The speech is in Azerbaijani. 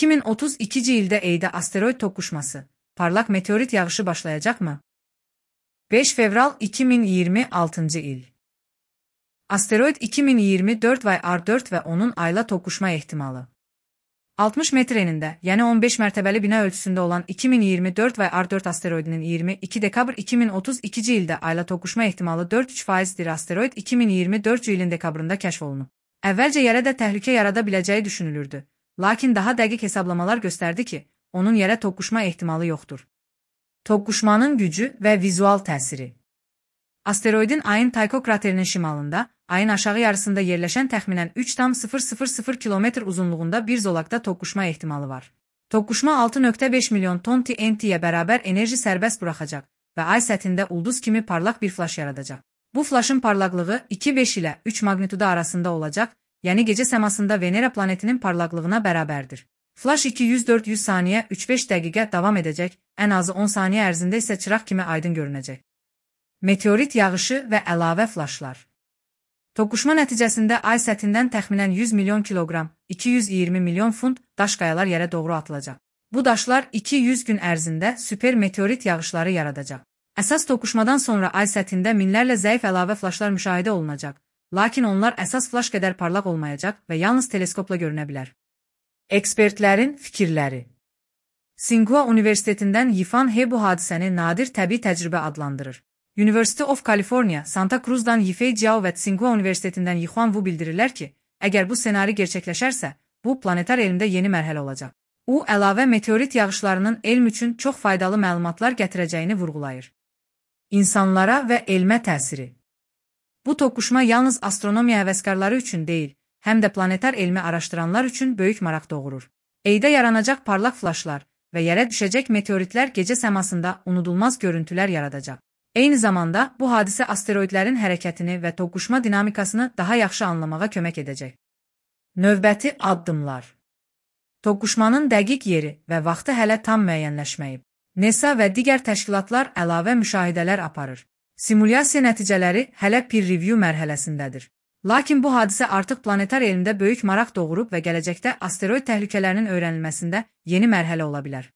2032 ildə Ayda asteroid toqquşması, parlaq meteorit yağışı başlayacaqmı? 5 fevral 2026 il. Asteroid 2024 vay R4 və onun ayla toqquşma ehtimalı. 60 metr enində, yəni 15 mərtəbəli bina ölçüsündə olan 2024 vay R4 asteroidinin 22 dekabr 2032 ildə ayla toqquşma ehtimalı 4,3%dir. Asteroid 2024 ilin dekabrında kəşf olunub. Əvvəlcə yerə də təhlükə yarada biləcəyi düşünülürdü. Lakin daha dəqiq hesablamalar göstərdi ki, onun yerə toqquşma ehtimalı yoxdur. Toqquşmanın gücü və vizual təsiri. Asteroidin ayın Tycho kraterinin şimalında, ayın aşağı yarısında yerləşən təxminən 3,000 km uzunluğunda bir zolaqda toqquşma ehtimalı var. Toqquşma 6,5 milyon ton TNT-yə bərabər enerji sərbəst buraxacaq və ay səthində ulduz kimi parlaq bir flaş yaradacaq. Bu flaşın parlaqlığı 2,5 ilə 3 magnitudo arasında olacaq, yəni gecə səmasında Venera planetinin parlaqlığına bərabərdir. Flaş 200-400 saniyə 3-5 dəqiqə davam edəcək, ən azı 10 saniyə ərzində isə çıraq kimi aydın görünəcək. Meteorit yağışı və əlavə flaşlar. Toqquşma nəticəsində ay səthindən təxminən 100 milyon kiloqram, 220 milyon funt daş qayalar yerə doğru atılacaq. Bu daşlar 200 gün ərzində süper meteorit yağışları yaradacaq. Əsas toqquşmadan sonra ay səthində minlərlə zəif əlavə flaşlar müşahidə olunacaq, lakin onlar əsas flaş qədər parlaq olmayacaq və yalnız teleskopla görünə bilər. Ekspertlərin fikirləri. Tsinghua Universitetindən Yifan He bu hadisəni nadir təbii təcrübə adlandırır. University of California, Santa Cruz'dan Yifei Jiao və Tsinghua Universitetindən Yixuan Wu bildirirlər ki, əgər bu ssenari gerçəkləşərsə, bu planetar elmdə yeni mərhələ olacaq. O, əlavə meteorit yağışlarının elm üçün çox faydalı məlumatlar gətirəcəyini vurğulayır. İnsanlara və elmə təsiri. Bu toqquşma yalnız astronomiya həvəskarları üçün deyil, həm də planetar elmi araşdıranlar üçün böyük maraq doğurur. Ayda yaranacaq parlaq flaşlar və yerə düşəcək meteoritlər gecə səmasında unudulmaz görüntülər yaradacaq. Eyni zamanda bu hadisə asteroidlərin hərəkətini və toqquşma dinamikasını daha yaxşı anlamağa kömək edəcək. Növbəti addımlar. Toqquşmanın dəqiq yeri və vaxtı hələ tam müəyyənləşməyib. NASA və digər təşkilatlar əlavə müşahidələr aparır. Simulyasiya nəticələri hələ peer review mərhələsindədir. Lakin bu hadisə artıq planetar elmdə böyük maraq doğurub və gələcəkdə asteroid təhlükələrinin öyrənilməsində yeni mərhələ ola bilər.